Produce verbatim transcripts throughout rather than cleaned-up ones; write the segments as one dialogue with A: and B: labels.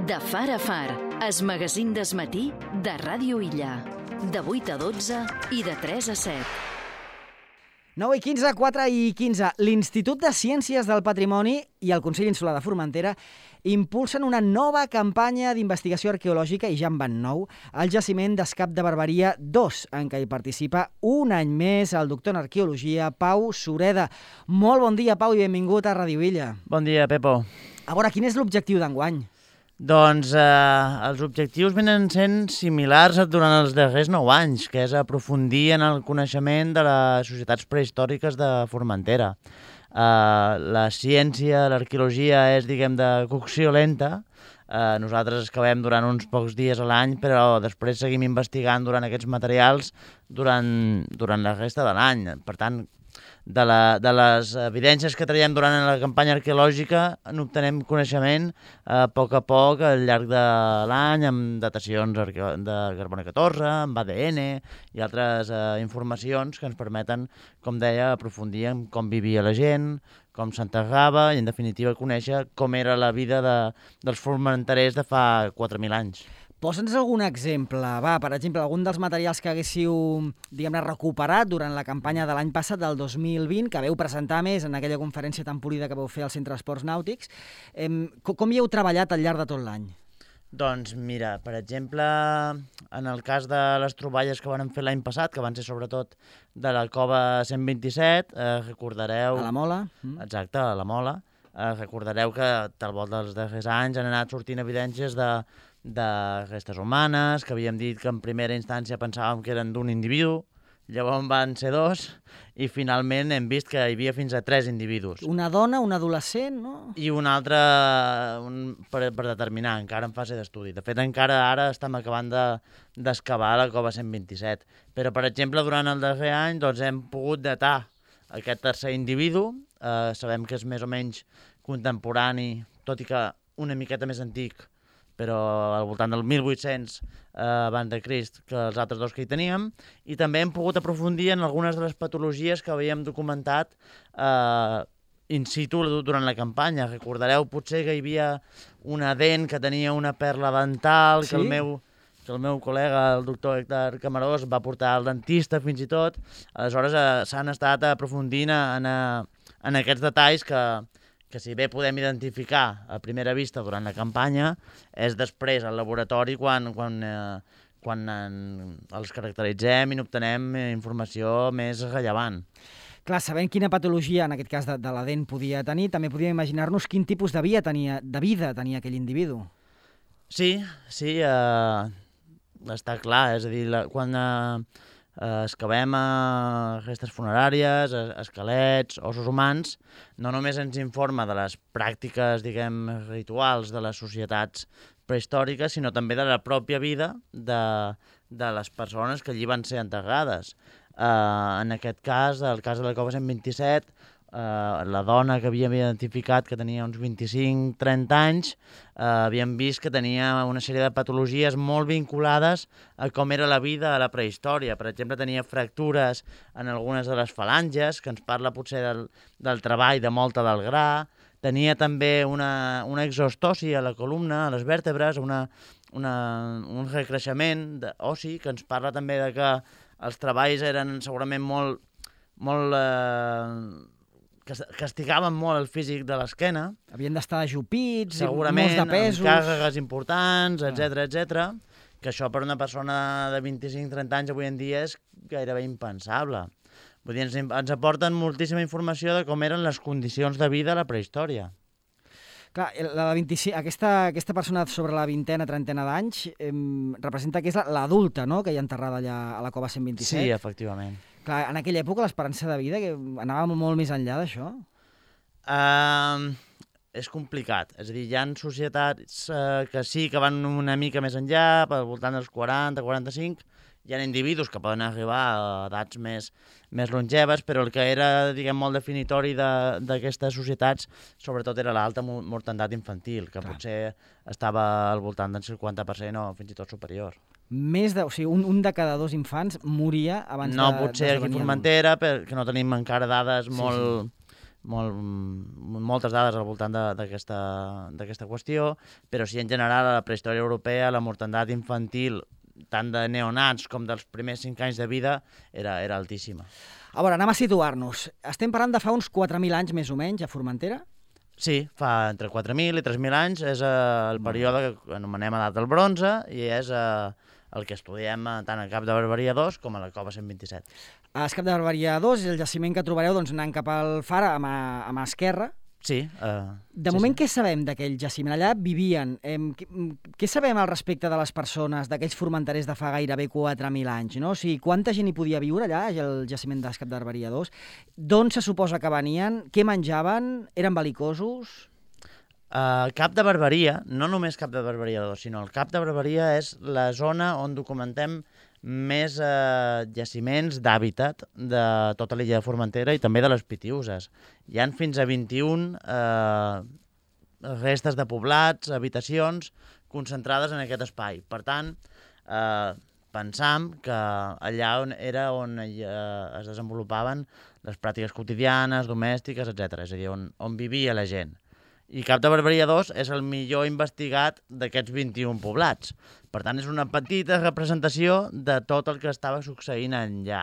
A: De far a far, es magazín d'esmatí de Ràdio Illa. De vuit a dotze i de tres a set.
B: nou i quinze, quatre i quinze. L'Institut de Ciències del Patrimoni i el Consell Insular de Formentera impulsen una nova campanya d'investigació arqueològica, i ja en van nou, al jaciment d'Escap de Barberia dos, en què hi participa un any més el doctor en arqueologia, Pau Sureda. Molt bon dia, Pau, i benvingut a Ràdio Illa.
C: Bon dia, Pepo.
B: A veure, quin és l'objectiu d'enguany?
C: Doncs eh, els objectius venen sent similars durant els darrers nou anys, que és aprofundir en el coneixement de les societats prehistòriques de Formentera. Uh, la ciència, l'arqueologia és, diguem, de cocció lenta. Uh, nosaltres excavem durant uns pocs dies a l'any, però després seguim investigant durant aquests materials durant, durant la resta de l'any. Per tant, de, la, de les evidències que traiem durant la campanya arqueològica n'obtenem coneixement uh, a poc a poc al llarg de l'any, amb datacions de carboni catorze, amb A D N i altres uh, informacions que ens permeten, com deia, aprofundir en com vivia la gent, com s'enterrava i, en definitiva, conèixer com era la vida de, dels formenterers de fa quatre mil anys.
B: Posa'ns algun exemple. Va, per exemple, algun dels materials que haguéssiu, diguem-ne, recuperat durant la campanya de l'any passat, del dos mil vint, que veu presentar més en aquella conferència tan polida que vau fer al Centre d'Esports Nàutics. Eh, com hi heu treballat al llarg de tot l'any?
C: Doncs mira, per exemple, en el cas de les troballes que van fer l'any passat, que van ser sobretot de la cova cent vint-i-set, eh, recordareu...
B: A la Mola.
C: Exacte, a la Mola. Eh, recordareu que al volta dels darrers anys han anat sortint evidències de, de restes humanes, que havíem dit que en primera instància pensàvem que eren d'un individu, llavors van ser dos, i finalment hem vist que hi havia fins a tres individus.
B: Una dona, un adolescent, no?
C: I un altre un, per, per determinar, encara en fase d'estudi. De fet, encara ara estem acabant de, d'excavar la cova cent vint-i-set. Però, per exemple, durant el darrer any doncs, hem pogut datar aquest tercer individu. Eh, sabem que és més o menys contemporani, tot i que una miqueta més antic, però al voltant del mil vuit-cents eh, abans de Crist que els altres dos que hi teníem, i també hem pogut aprofundir en algunes de les patologies que havíem documentat eh, in situ durant la campanya. Recordareu potser que hi havia una dent que tenia una perla dental, sí? que, el meu, que el meu col·lega, el doctor Héctor Camarós, va portar al dentista fins i tot. Aleshores eh, s'han estat aprofundint en, en aquests detalls que... que si bé podem identificar a primera vista durant la campanya, és després al laboratori quan, quan, eh, quan en, els caracteritzem i n'obtenem informació més rellevant.
B: Clar, sabent quina patologia, en aquest cas de, de la dent, podia tenir, també podíem imaginar-nos quin tipus de vida tenia, de vida tenia aquell individu.
C: Sí, sí, eh, està clar, és a dir, la, quan... Eh, Uh, excavem uh, restes funeràries, uh, esquelets, ossos humans, no només ens informa de les pràctiques, diguem, rituals de les societats prehistòriques, sinó també de la pròpia vida de, de les persones que allí van ser enterrades. Uh, en aquest cas, el cas de la cova cent vint-i-set, Uh, la dona que havíem identificat, que tenia uns vint-i-cinc trenta anys, uh, havíem vist que tenia una sèrie de patologies molt vinculades a com era la vida a la prehistòria. Per exemple, tenia fractures en algunes de les falanges, que ens parla potser del, del treball de molta del gra. Tenia també una, una exostosi a la columna, a les vèrtebres, una, una, un recreixement ossi, que ens parla també de que els treballs eren segurament molt... molt eh, que castigaven molt el físic de l'esquena.
B: Havien d'estar ajupits,
C: segurament,
B: molts de pesos...
C: amb càrregues importants, etcètera, etcètera, que això per una persona de vint-i-cinc trenta anys avui en dia és gairebé impensable. Vull dir, ens, ens aporten moltíssima informació de com eren les condicions de vida a la prehistòria.
B: Clar, la de vint-i-cinc, aquesta, aquesta persona sobre la vintena, trentena d'anys eh, representa que és l'adulta, no?, que hi ha enterrada allà a la cova cent vint-i-set.
C: Sí, efectivament.
B: Clar, en aquella època l'esperança de vida que anava molt més enllà d'això?
C: Uh, és complicat. És a dir, hi ha societats uh, que sí que van una mica més enllà, al voltant dels quaranta, quaranta-cinc. Hi ha individus que poden arribar a edats més, més longeves, però el que era, diguem, molt definitori d'aquestes societats, sobretot era l'alta mortandat infantil, que Clar. Potser estava al voltant del cinquanta per cent o fins i tot superior.
B: Més de, o sigui, un, un de cada dos infants moria abans
C: no,
B: de...
C: No, potser aquí a Formentera, perquè no tenim encara dades molt, sí, sí. molt, moltes dades al voltant d'aquesta qüestió, però sí, en general, a la prehistòria europea, la mortandat infantil, tant de neonats com dels primers cinc anys de vida, era, era altíssima.
B: A veure, anem a situar-nos. Estem parlant de fa uns quatre mil anys, més o menys, a Formentera?
C: Sí, fa entre quatre mil i tres mil anys, és eh, el període que anomenem edat del bronze i és eh, el que estudiem tant al Cap de Barberia dos com a la Cova cent vint-i-set.
B: El Cap de Barberia dos és el jaciment que trobareu doncs, anant cap al far a mà, a mà esquerra.
C: Sí. Eh,
B: de
C: sí,
B: moment,
C: sí.
B: què sabem d'aquell jaciment? Allà vivien. Eh, què, què sabem al respecte de les persones, d'aquells formenterers de fa gairebé quatre mil anys? No? O sigui, quanta gent hi podia viure allà, al jaciment del Cap de Barberia dos? D'on se suposa que venien? Què menjaven? Eren bel·licosos?
C: Uh, Cap de Barberia, no només Cap de Barberia dos, sinó el Cap de Barberia és la zona on documentem més eh, jaciments d'hàbitat de tota l'illa de Formentera i també de les Pitiüses. Hi han fins a vint-i-un eh, restes de poblats, habitacions, concentrades en aquest espai. Per tant, eh, pensam que allà on era on eh, es desenvolupaven les pràctiques quotidianes, domèstiques, etcètera. És a dir, on, on vivia la gent. I Cap de Barberia dos és el millor investigat d'aquests vint-i-un poblats. Per tant, és una petita representació de tot el que estava succeint allà.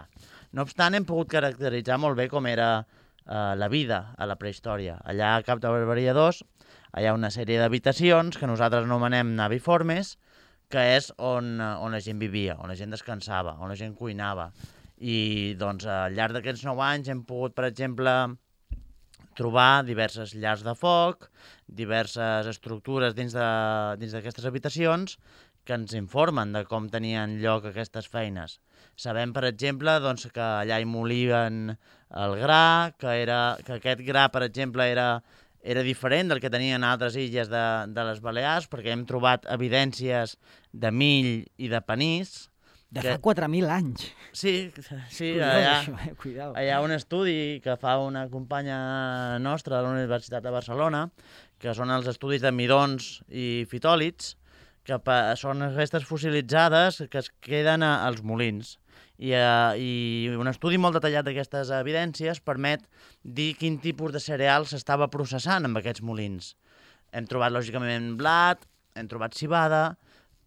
C: No obstant, hem pogut caracteritzar molt bé com era eh, la vida a la prehistòria. Allà a Cap de Barberia dos hi ha una sèrie d'habitacions que nosaltres anomenem naviformes, que és on, on la gent vivia, on la gent descansava, on la gent cuinava. I doncs, al llarg d'aquests nou anys hem pogut, per exemple, trobar diverses llars de foc, diverses estructures dins d'aquestes habitacions que ens informen de com tenien lloc aquestes feines. Sabem, per exemple, doncs, que allà hi molien el gra, que, era, que aquest gra, per exemple, era, era diferent del que tenien altres illes de, de les Balears, perquè hem trobat evidències de mill i de panís.
B: De fa quatre mil anys.
C: Sí, sí.
B: Curiós,
C: allà,
B: això, eh? Cuidao.
C: hi ha un estudi que fa una companya nostra de la Universitat de Barcelona, que són els estudis de midons i fitòlits, que són restes fossilitzades que es queden als molins. I, uh, I un estudi molt detallat d'aquestes evidències permet dir quin tipus de cereal s'estava processant amb aquests molins. Hem trobat, lògicament, blat, hem trobat civada,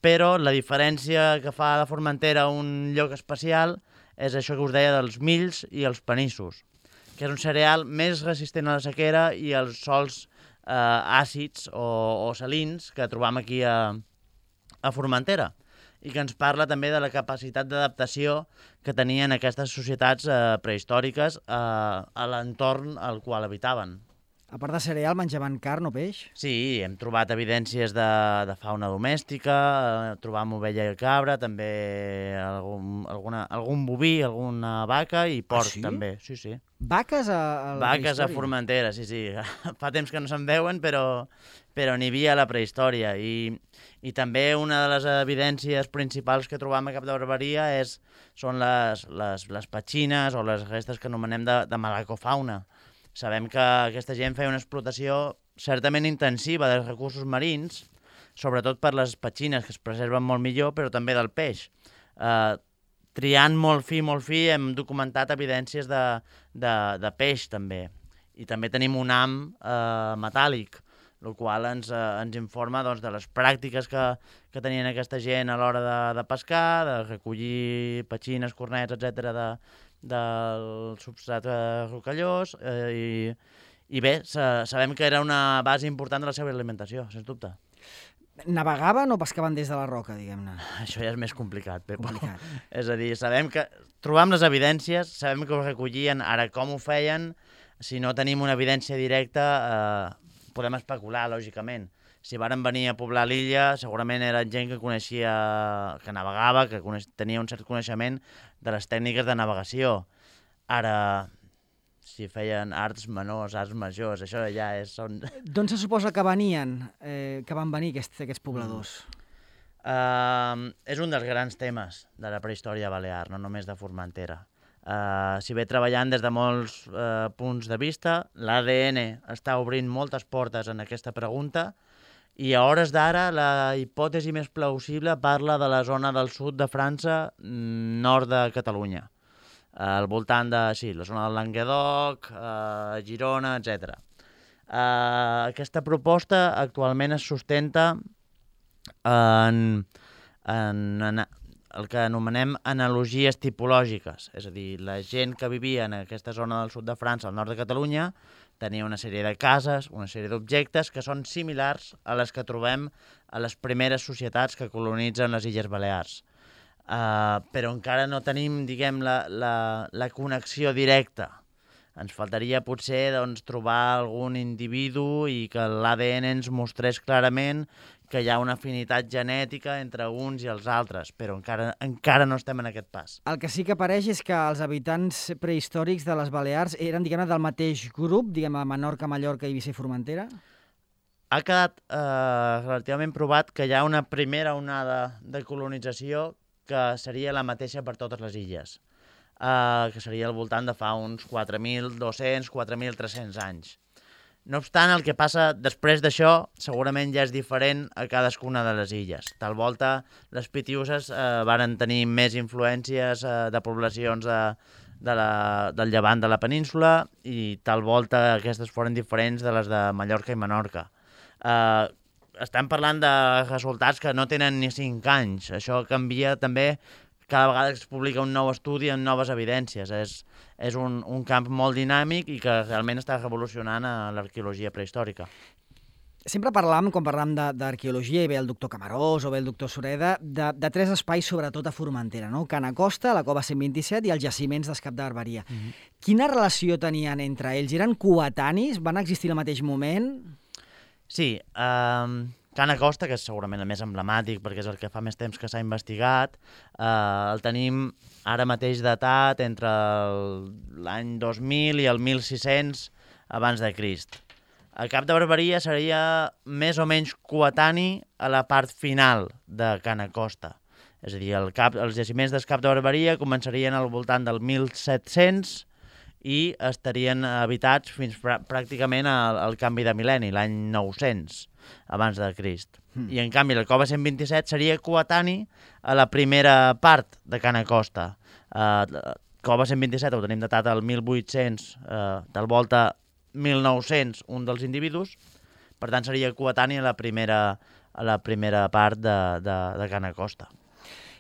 C: però la diferència que fa de Formentera un lloc especial és això que us deia dels mills i els panissos, que és un cereal més resistent a la sequera i als sols eh, àcids o, o salins que trobam aquí a, a Formentera, i que ens parla també de la capacitat d'adaptació que tenien aquestes societats eh, prehistòriques eh, a l'entorn al qual habitaven.
B: A part de cereal, menjaven carn o peix?
C: Sí, hem trobat evidències de, de fauna domèstica, eh, trobam ovella i cabra, també algun, alguna, algun boví, alguna vaca i porc,
B: ah, sí?
C: també. Sí, sí.
B: Vaques a, a la
C: Vaques
B: prehistòria?
C: a Formentera, sí, sí. Fa temps que no se'n veuen, però, però n'hi havia a la prehistòria. I, I també una de les evidències principals que trobam a Cap de Barberia és, són les, les, les petxines o les restes que anomenem de, de malacofauna. Sabem que aquesta gent feia una explotació certament intensiva dels recursos marins, sobretot per les petxines, que es preserven molt millor, però també del peix. Eh, triant molt fi, molt fi, hem documentat evidències de, de, de peix, també. I també tenim un ham eh, metàl·lic, el qual ens, eh, ens informa doncs, de les pràctiques que, que tenien aquesta gent a l'hora de, de pescar, de recollir petxines, cornets, etcètera, de, del substrat rocallós, eh, i, i bé, sa, sabem que era una base important de la seva alimentació, sens dubte.
B: Navegaven o pescaven des de la roca, diguem-ne?
C: Això ja és més complicat, Pepo.
B: Complicat.
C: És a dir, sabem que trobam les evidències, sabem que ho recollien, ara com ho feien, si no tenim una evidència directa, eh, podem especular, lògicament. Si varen venir a poblar l'illa, segurament era gent que coneixia, que navegava, que coneix, tenia un cert coneixement de les tècniques de navegació. Ara, si feien arts menors, arts majors, això ja és... Són...
B: D'on se suposa que venien, eh, que van venir aquests, aquests pobladors?
C: Mm. Uh, és un dels grans temes de la prehistòria balear, no només de Formentera. Uh, si ve treballant des de molts uh, punts de vista, l'A D N està obrint moltes portes en aquesta pregunta, i a hores d'ara la hipòtesi més plausible parla de la zona del sud de França, nord de Catalunya. al voltant de sí, la zona del Languedoc, eh, Girona, etcètera. Uh, aquesta proposta actualment es sustenta en, en, en el que anomenem analogies tipològiques, és a dir, la gent que vivia en aquesta zona del sud de França, al nord de Catalunya, tenia una sèrie de cases, una sèrie d'objectes que són similars a les que trobem a les primeres societats que colonitzen les Illes Balears. Uh, però encara no tenim, diguem, la, la, la connexió directa. Ens faltaria potser doncs, trobar algun individu i que l'A D N ens mostrés clarament que hi ha una afinitat genètica entre uns i els altres, però encara, encara no estem en aquest pas.
B: El que sí que apareix és que els habitants prehistòrics de les Balears eren, diguem-ne, del mateix grup, diguem, a Menorca, Mallorca, Eivissa i Formentera?
C: Ha quedat eh, relativament provat que hi ha una primera onada de colonització que seria la mateixa per totes les illes. Uh, que seria al voltant de fa uns quatre mil dos-cents, quatre mil tres-cents anys. No obstant, el que passa després d'això segurament ja és diferent a cadascuna de les illes. Tal volta, les Pitiuses uh, varen tenir més influències uh, de poblacions de, de la, del llevant de la península i tal volta aquestes foren diferents de les de Mallorca i Menorca. Uh, estem parlant de resultats que no tenen ni cinc anys. Això canvia també cada vegada que es publica un nou estudi amb noves evidències. És, és un, un camp molt dinàmic i que realment està revolucionant a l'arqueologia prehistòrica.
B: Sempre parlam, quan parlam d'arqueologia, i ve el doctor Camarós o ve el doctor Sureda, de, de tres espais, sobretot a Formentera, no? Cana Costa, la cova cent vint-i-set i els jaciments d'Escap de Barberia. Mm-hmm. Quina relació tenien entre ells? Eren coetanis? Van existir al mateix moment?
C: Sí, eh... Cana Costa, que és segurament el més emblemàtic perquè és el que fa més temps que s'ha investigat, eh, el tenim ara mateix datat entre l'any dos mil i el mil sis-cents abans de Crist. El Cap de Barberia seria més o menys coetani a la part final de Cana Costa. És a dir, el cap, els jaciments del Cap de Barberia començarien al voltant del mil set-cents i estarien habitats fins prà pràcticament al, al canvi de mil·lenni, l'any nou-cents abans de Crist. Mm. I en canvi la cova cent vint-i-set seria coetani a la primera part de Cana Costa. Uh, cova cent vint-i-set ho tenim datat al mil vuit-cents, uh, tal volta mil nou-cents un dels individus, per tant seria coetani a la primera, a la primera part de, de, de Cana Costa.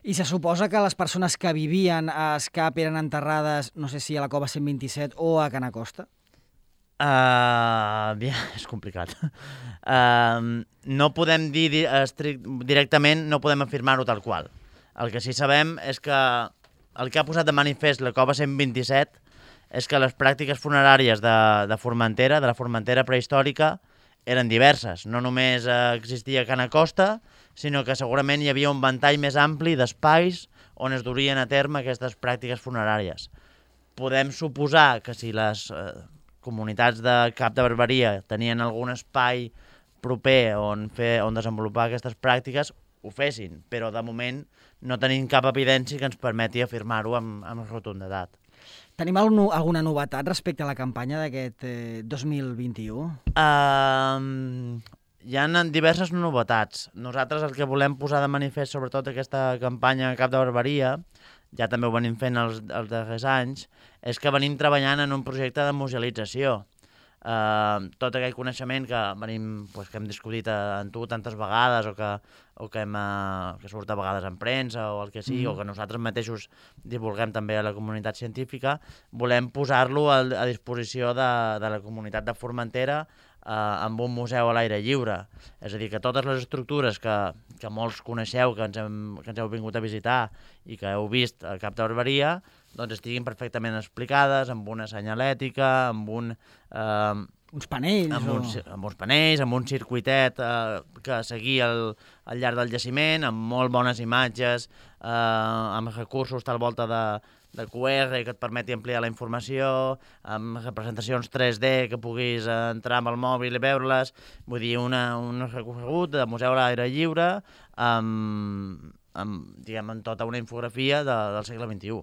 B: I se suposa que les persones que vivien a Escap eren enterrades, no sé si a la cova cent vint-i-set o a Cana Costa?
C: Uh, ja, és complicat. Uh, no podem dir directament, no podem afirmar-ho tal qual. El que sí sabem és que el que ha posat de manifest la cova cent vint-i-set és que les pràctiques funeràries de, de Formentera, de la Formentera prehistòrica, eren diverses. No només uh, existia Cana Costa, sinó que segurament hi havia un ventall més ampli d'espais on es durien a terme aquestes pràctiques funeràries. Podem suposar que si les uh, comunitats de Cap de Barberia tenien algun espai proper on, fer, on desenvolupar aquestes pràctiques, ho fessin, però de moment no tenim cap evidència que ens permeti afirmar-ho amb, amb rotunditat.
B: Tenim algun, alguna novetat respecte a la campanya d'aquest eh, dos mil vint-i-u?
C: Uh, hi ha diverses novetats. Nosaltres el que volem posar de manifest, sobretot aquesta campanya a Cap de Barberia, ja també ho venim fent els, els darrers anys, és que venim treballant en un projecte de musealització. Uh, tot aquell coneixement que, venim, pues, que hem discutit amb tu tantes vegades o que, o que, hem, uh, que surt a vegades en premsa o el que sigui, mm. o que nosaltres mateixos divulguem també a la comunitat científica, volem posar-lo a, a disposició de, de la comunitat de Formentera uh, amb un museu a l'aire lliure. És a dir, que totes les estructures que, que molts coneixeu, que ens, hem, que ens heu vingut a visitar i que heu vist al Cap de Barberia, doncs estiguin perfectament explicades, amb una senyalètica, amb un... Eh,
B: uns panells.
C: Amb,
B: o...
C: uns, amb uns panells, amb un circuitet eh, que seguia al, al llarg del jaciment, amb molt bones imatges, eh, amb recursos tal volta de, de Q R que et permeti ampliar la informació, amb representacions tres D que puguis entrar amb el mòbil i veure-les. Vull dir, una, un recorregut de museu a l'aire lliure amb, amb, diguem, amb tota una infografia de, del segle vint-i-u.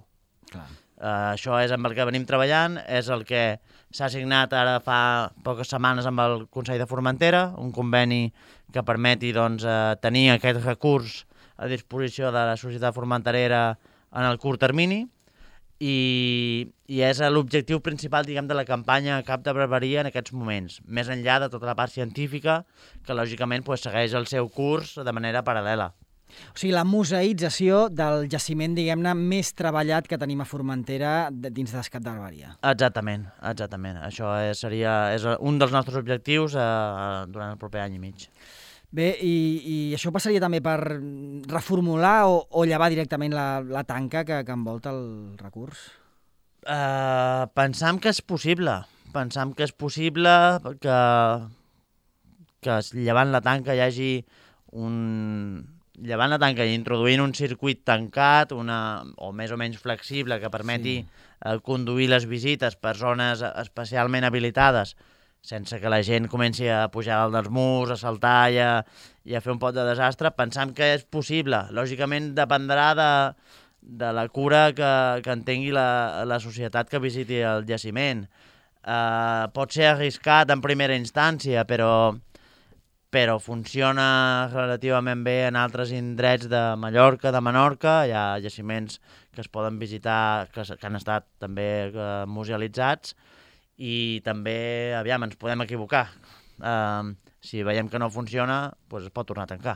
B: Clar.
C: Uh, això és amb el que venim treballant, és el que s'ha signat ara fa poques setmanes amb el Consell de Formentera, un conveni que permeti doncs, uh, tenir aquest recurs a disposició de la societat formenterera en el curt termini, i, i és l'objectiu principal, diguem, de la campanya Cap de Barberia en aquests moments, més enllà de tota la part científica, que lògicament pues, segueix el seu curs de manera paral·lela.
B: O sigui, la museïtzació del jaciment, diguem-ne, més treballat que tenim a Formentera dins d'Es Cap de Barberia.
C: Exactament, exactament. Això és, seria és un dels nostres objectius eh, durant el proper any i mig.
B: Bé, i, i això passaria també per reformular o, o llevar directament la, la tanca que, que envolta el recurs?
C: Uh, pensam que és possible. Pensam que és possible que, que llevant la tanca hi hagi un... Llevant la tanca i introduint un circuit tancat, una, o més o menys flexible, que permeti sí. uh, conduir les visites per zones especialment habilitades, sense que la gent comenci a pujar dalt dels murs, a saltar i a, i a fer un pot de desastre, pensam que és possible. Lògicament dependrà de, de la cura que, que en tingui la, la societat que visiti el jaciment. Uh, pot ser arriscat en primera instància, però, però funciona relativament bé en altres indrets de Mallorca, de Menorca. Hi ha jaciments que es poden visitar, que, que han estat també uh, musealitzats, i també, aviam, ens podem equivocar. Uh, si veiem que no funciona, doncs es pot tornar a tancar.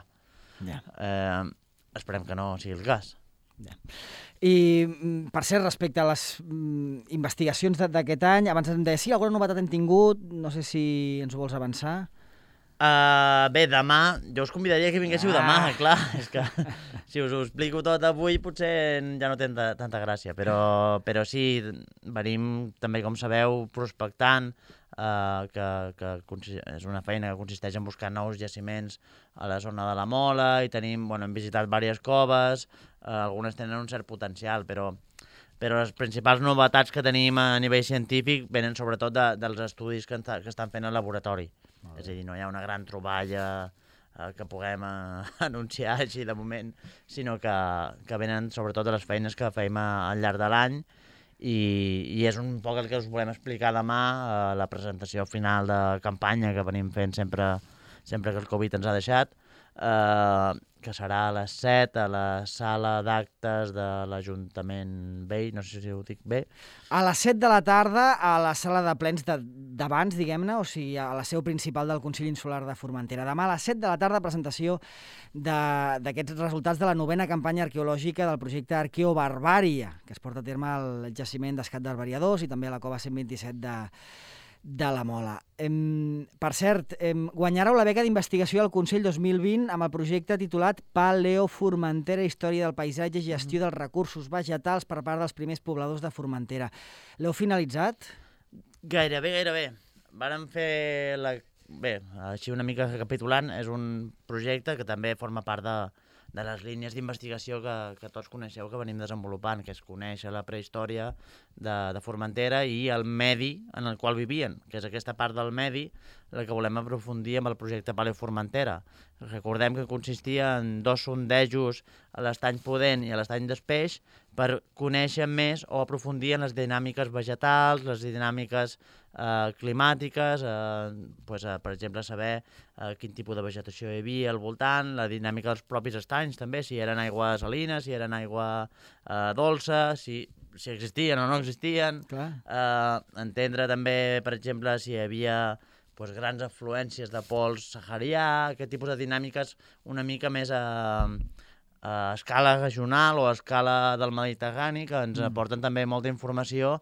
B: Yeah.
C: Uh, esperem que no sigui el cas.
B: Yeah. I, per cert, respecte a les mm, investigacions d'aquest any, abans em deia, sí, alguna novetat hem tingut, no sé si ens ho vols avançar.
C: Uh, bé, demà, jo us convidaria que vinguéssiu ah. demà, clar, és que si us ho explico tot avui potser ja no té tanta, tanta gràcia, però, però sí, venim també, com sabeu, prospectant, uh, que, que és una feina que consisteix en buscar nous jaciments a la zona de la Mola, i tenim, bueno, hem visitat diverses coves, uh, algunes tenen un cert potencial, però, però les principals novetats que tenim a nivell científic venen sobretot de, dels estudis que, que estan fent al laboratori. És a dir, no hi ha una gran troballa eh, que puguem eh, anunciar així de moment, sinó que, que venen sobretot de les feines que feim a, al llarg de l'any, i, i és un poc el que us volem explicar demà a eh, la presentació final de campanya que venim fent sempre, sempre que el Covid ens ha deixat, eh, que serà a les set a la sala d'actes de l'Ajuntament Vell, no sé si ho dic bé.
B: A les set de la tarda, a la sala de plens d'abans, diguem-ne, o sigui, a la seu principal del Consell Insular de Formentera. Demà a les set de la tarda, presentació d'aquests resultats de la novena campanya arqueològica del projecte Arqueobarbària, que es porta a terme al jaciment d'Es Cap de Barberia dos i també a la cova cent vint-i-set de, de la Mola. Em, per cert, em, guanyareu la beca d'investigació al Consell dos mil vint amb el projecte titulat Paleoformentera, història del paisatge i gestió dels recursos vegetals per part dels primers pobladors de Formentera. L'heu finalitzat?
C: Gairebé, gairebé. Vàrem fer la... Bé, així una mica recapitulant, és un projecte que també forma part de, de les línies d'investigació que, que tots coneixeu que venim desenvolupant, que és conèixer la prehistòria de, de Formentera i el medi en el qual vivien, que és aquesta part del medi la que volem aprofundir amb el projecte Paleoformentera. Recordem que consistia en dos sondejos a l'estany Pudent i a l'estany d'Espeix per conèixer més o aprofundir en les dinàmiques vegetals, les dinàmiques eh, climàtiques, eh, pues, eh, per exemple, saber eh, quin tipus de vegetació hi havia al voltant, la dinàmica dels propis estanys també, si eren aigua salina, si eren aigua eh, dolça, si, si existien o no existien. Eh, entendre també, per exemple, si hi havia pues, grans afluències de pols saharià, aquest tipus de dinàmiques una mica més a, a escala regional o a escala del Mediterrani, que ens mm. aporten també molta informació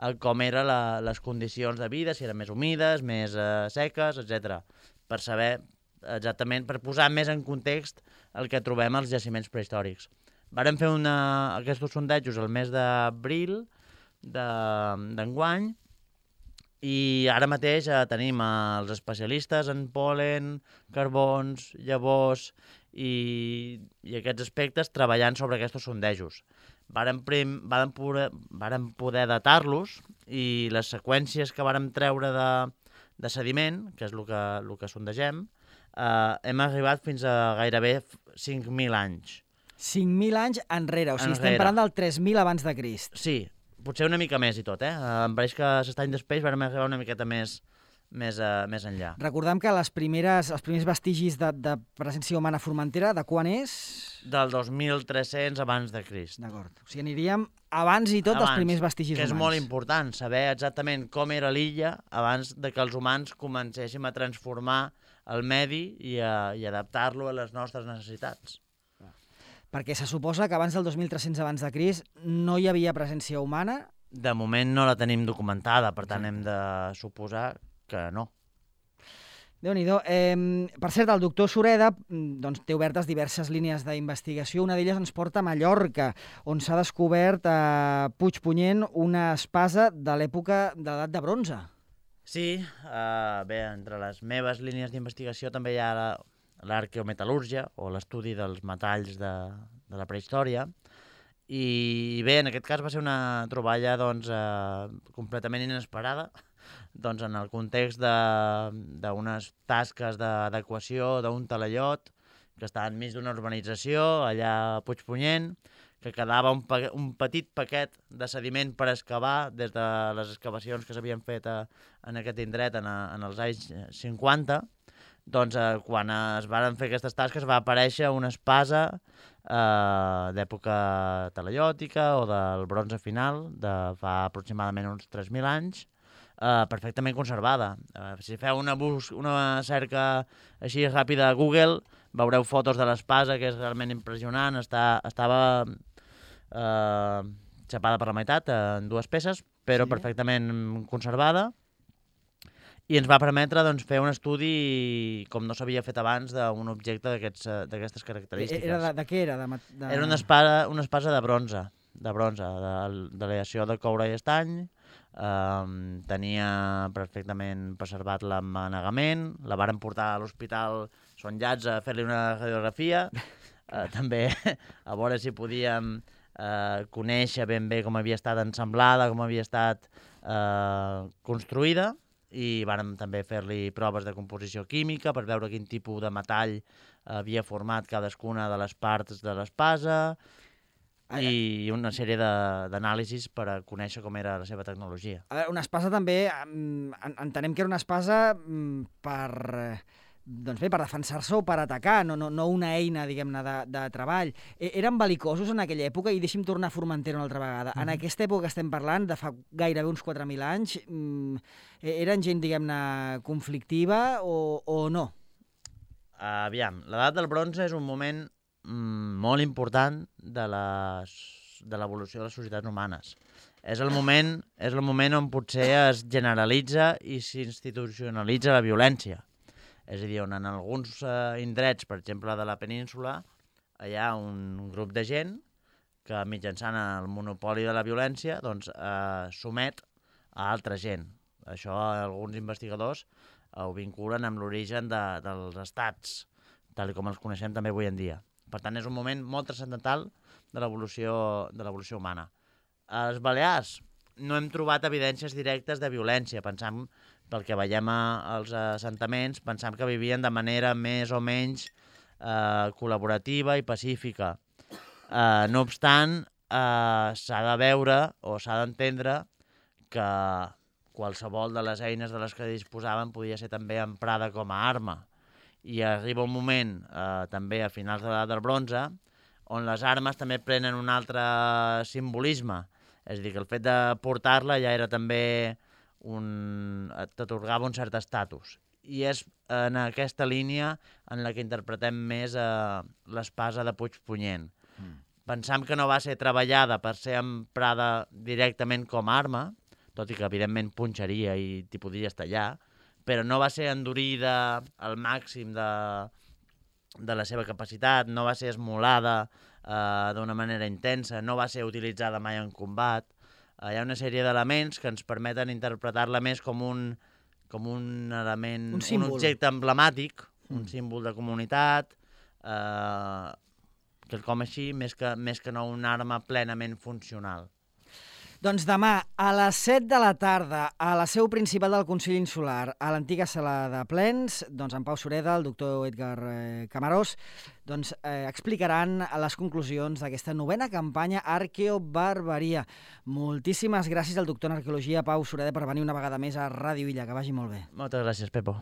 C: a com eren les condicions de vida, si eren més humides, més eh, seques, etcètera, per saber exactament, per posar més en context el que trobem als jaciments prehistòrics. Vàrem fer una, aquests sondejos el mes d'abril d'enguany, i ara mateix eh, tenim els especialistes en polen, carbons, llavors i, i aquests aspectes treballant sobre aquests sondejos. Vàrem, prim, vàrem, poder, vàrem poder datar-los i les seqüències que vàrem treure de, de sediment, que és el que, el que sondegem, eh, hem arribat fins a gairebé cinc mil anys.
B: cinc mil anys enrere, o sigui, enrere. Estem parlant del tres mil abans de Crist.
C: Sí, potser una mica més i tot, eh? Em pareix que l'estany d'Espeix vam arribar una miqueta més, més, uh, més enllà.
B: Recordem que les primeres, els primers vestigis de, de presència humana a Formentera, de quan és?
C: del dos mil tres-cents abans de Crist.
B: D'acord. O sigui, aniríem abans i tot dels primers vestigis
C: humans. Que és
B: humans.
C: molt important saber exactament com era l'illa abans de que els humans comencéssim a transformar el medi i, a, i adaptar-lo a les nostres necessitats.
B: Perquè se suposa que abans del dos mil tres-cents abans de Crist no hi havia presència humana?
C: De moment no la tenim documentada, per tant hem de suposar que no.
B: Déu-n'hi-do. Eh, per cert, el doctor Sureda doncs, té obertes diverses línies d'investigació. Una d'elles ens porta a Mallorca, on s'ha descobert a Puigpunyent una espasa de l'època de l'edat de bronze.
C: Sí, uh, bé, entre les meves línies d'investigació també hi ha l'arqueometal·lúrgia, o l'estudi dels metalls de, de la prehistòria. I bé, en aquest cas va ser una troballa doncs, uh, completament inesperada, doncs en el context d'unes tasques d'adequació d'un talaiot que està enmig d'una urbanització, allà a Puigpunyent, que quedava un, un petit paquet de sediment per excavar des de les excavacions que s'havien fet a, en aquest indret en, a, en els anys cinquanta. Doncs eh, quan es van fer aquestes tasques va aparèixer una espasa eh, d'època talaiòtica o del bronze final, de fa aproximadament uns tres mil anys, Uh, perfectament conservada. Uh, si feu una, bus una cerca així ràpida a Google, veureu fotos de l'espasa, que és realment impressionant. Està, estava uh, xapada per la meitat, uh, en dues peces, però sí, perfectament conservada. I ens va permetre doncs, fer un estudi com no s'havia fet abans d'un objecte d'aquestes característiques.
B: Era de, de què era? De, de...
C: Era una espasa, una espasa de bronze, de bronze, de, de l'aleació de coure i estany. Um, tenia perfectament preservat l'emmanegament, la varen portar a l'hospital Son Llats a fer-li una radiografia, uh, també a veure si podíem uh, conèixer ben bé com havia estat ensamblada, com havia estat uh, construïda, i vàrem també fer-li proves de composició química per veure quin tipus de metall havia format cadascuna de les parts de l'espasa, i una sèrie d'anàlisis per a conèixer com era la seva tecnologia.
B: A veure, una espasa també, entenem que era una espasa per, doncs bé, per defensar-se o per atacar, no, no, no una eina, diguem-ne, de, de treball. Eren bel·licosos en aquella època, i deixi'm tornar a Formentera una altra vegada. Mm-hmm. En aquesta època que estem parlant, de fa gairebé uns quatre mil anys, eren gent, diguem-ne, conflictiva o, o no?
C: Aviam, l'edat del bronze és un moment molt important de l'evolució de les societats humanes. És el moment, és el moment on potser es generalitza i s'institucionalitza la violència. És a dir, on en alguns eh, indrets, per exemple de la península, hi ha un grup de gent que mitjançant el monopoli de la violència doncs, eh, somet a altra gent. Això alguns investigadors ho vinculen amb l'origen de, dels estats, tal com els coneixem també avui en dia. Per tant, és un moment molt transcendental de l'evolució humana. A les Balears no hem trobat evidències directes de violència. Pensam, pel que veiem als assentaments, pensam que vivien de manera més o menys eh, col·laborativa i pacífica. Eh, no obstant, eh, s'ha de veure o s'ha d'entendre que qualsevol de les eines de les que disposaven podia ser també emprada com a arma. I arriba un moment, eh, també a finals de l'edat del bronze, on les armes també prenen un altre simbolisme. És a dir, que el fet de portar-la ja era també un... t'atorgava un cert estatus. I és en aquesta línia en la que interpretem més eh, l'espasa de Puigpunyent. Mm. Pensam que no va ser treballada per ser emprada directament com a arma, tot i que evidentment punxaria i t'hi podries tallar, però no va ser endurida al màxim de, de la seva capacitat, no va ser esmolada eh, d'una manera intensa, no va ser utilitzada mai en combat. Eh, hi ha una sèrie d'elements que ens permeten interpretar-la més com un, com un element, un, un objecte emblemàtic, mm. un símbol de comunitat, eh, quelcom així, més que, més que no una arma plenament funcional.
B: Doncs demà, a les set de la tarda, a la seu principal del Consell Insular, a l'antiga sala de plens, doncs en Pau Sureda, el doctor Edgar eh, Camarós, doncs eh, explicaran les conclusions d'aquesta novena campanya Arqueobarbaria. Moltíssimes gràcies al doctor en arqueologia Pau Sureda per venir una vegada més a Ràdio Illa. Que vagi molt bé.
C: Moltes gràcies, Pepo.